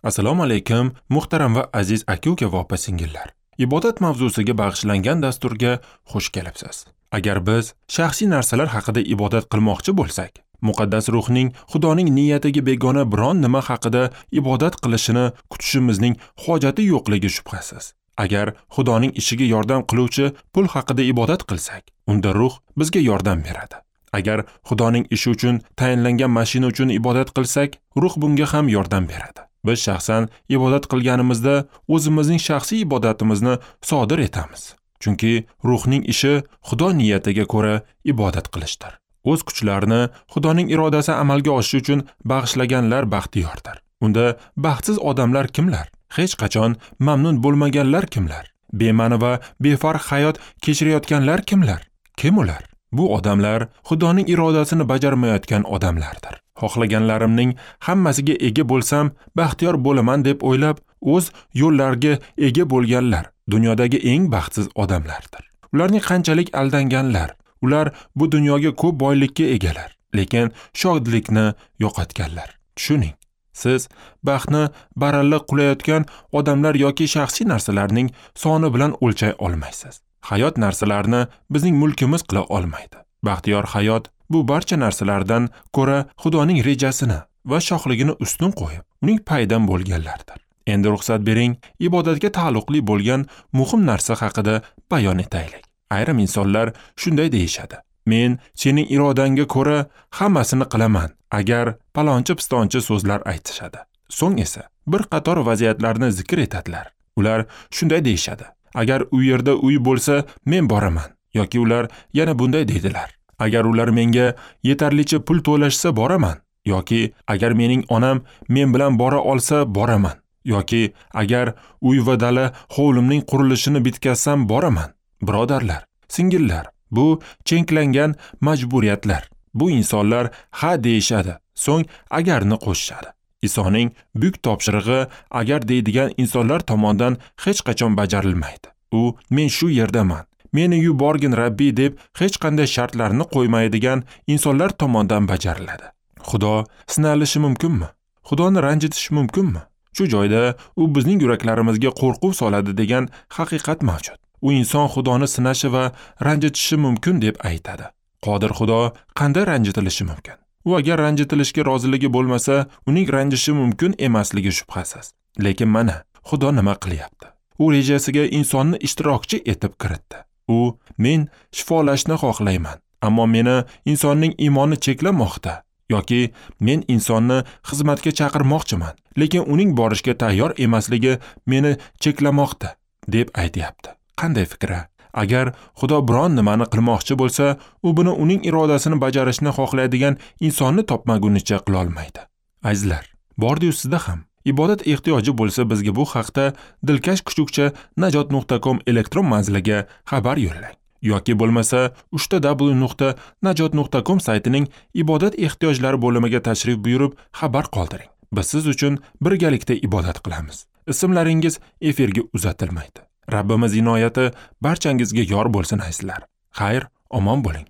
Assalomu alaykum, muhtaram va aziz aka-uka va opa-singillar. Ibodat mavzusiga bag'ishlangan dasturga xush kelibsiz. Agar biz shaxsiy narsalar haqida ibodat qilmoqchi bo'lsak, muqaddas ruhning Xudoning niyatiga begona biron nima haqida ibodat qilishini kutishimizning hojati yo'qligi shubhasiz. Agar Xudoning ishiga yordam qiluvchi pul haqida ibodat qilsak, unda ruh bizga yordam beradi. Agar Xudoning ishi uchun tayinlangan mashina uchun ibodat qilsak, ruh bunga ham yordam beradi. Biz shaxsan ibodat qilganimizda o'zimizning shaxsiy ibodatimizni sodir etamiz. Chunki ruhning ishi Xudo niyatiga ko'ra ibodat qilishdir. O'z kuchlarini Xudoning irodasi amalga oshishi uchun bag'ishlaganlar baxtiyordir. Unda baxtsiz odamlar kimlar? Hech qachon mamnun bo'lmaganlar kimlar? Bema'ni va befarq hayot kechirayotganlar kimlar? Kim ular? Bu odamlar Xudoning irodasini bajarmayotgan odamlardir. Xohlaganlarimning hammasiga ega bo'lsam, baxtiyor bo'laman deb o'ylab, o'z yo'llariga ega bo'lganlar dunyodagi eng baxtsiz odamlardir. Ularning qanchalik aldanganlar, ular bu dunyoga ko'p boylikka egalar, lekin shodlikni yo'qotganlar. Tushuning, siz baxtni baralla qulayotgan odamlar yoki shaxsiy narsalarning soni bilan o'lchay olmaysiz. Hayot narsalarni bizning mulkimiz qila olmaydi. Baxtiyor hayot bu barcha narsalardan ko'ra Xudoning rejasini va shohligini ustun qo'yib, uning payidan bo'lganlardir. Endi ruxsat bering, ibodatga taalluqli bo'lgan muhim narsa haqida bayon etaylik. Ayrim insonlar shunday deyishadi: men sening irodangga ko'ra hammasini qilaman, agar palonchi-pistonchi so'zlar aytishadi. So'ng esa bir qator vaziyatlarni zikr etadilar. Ular shunday deyishadi: agar u yerda uy bo'lsa, men boraman. Yoki ular yana bunday deydilar: agar ular menga yetarlicha pul to'lashsa boraman. Yoki agar mening onam men bilan bora olsa boraman. Yoki agar uy va dala hovlimning qurilishini bitkazsam boraman. Birodarlar, singillar, bu chenklangan majburiyatlar. Bu insonlar ha deyishadi, so'ng agarni qo'shishadi. Isoning buyuk topshirig'i agar deydigan insonlar tomonidan hech qachon bajarilmaydi. U men shu yerdaman, meni yuborgin Rabbiy deb hech qanday shartlarni qo'ymaydigan insonlar tomonidan bajariladi. Xudo sinalishi mumkinmi? Xudoni ranjitish mumkinmi? Shu joyda u bizning yuraklarimizga qo'rquv soladi degan haqiqat mavjud. U inson Xudoni sinashi va ranjitishi mumkin deb aytadi. Qodir Xudo qanday ranjitilishi mumkin? U agar ranjitilishga roziligi bo'lmasa, uning ranjishi mumkin emasligi shubhasiz. Lekin mana Xudo nima qilyapti? U rejasiga insonni ishtirokchi etib kiritdi. U men shifolashni xohlayman, ammo meni insonning iymoni cheklamoqda, yoki men insonni xizmatga chaqirmoqchiman, lekin uning borishga tayyor emasligi meni cheklamoqda deb aytyapti. Qanday fikr? Agar Xudo biron nimani qilmoqchi bo'lsa, u buni uning irodasini bajarishni xohlaydigan insonni topmagunicha qila olmaydi. Azizlar, bordi-yu sizda ham ibodat ehtiyoji bo'lsa, bizga bu haqda dilkash kuchukcha najot.com elektron manziliga xabar yo'llang. Yoki bo'lmasa www.najot.com saytining ibodat ehtiyojlari bo'limiga tashrif buyurib xabar qoldiring. Biz siz uchun birgalikda ibodat qilamiz. Ismlaringiz efirga uzatilmaydi. Rabbimiz inoyati barchangizga yor bo'lsin azizlar. Xayr, omon bo'ling.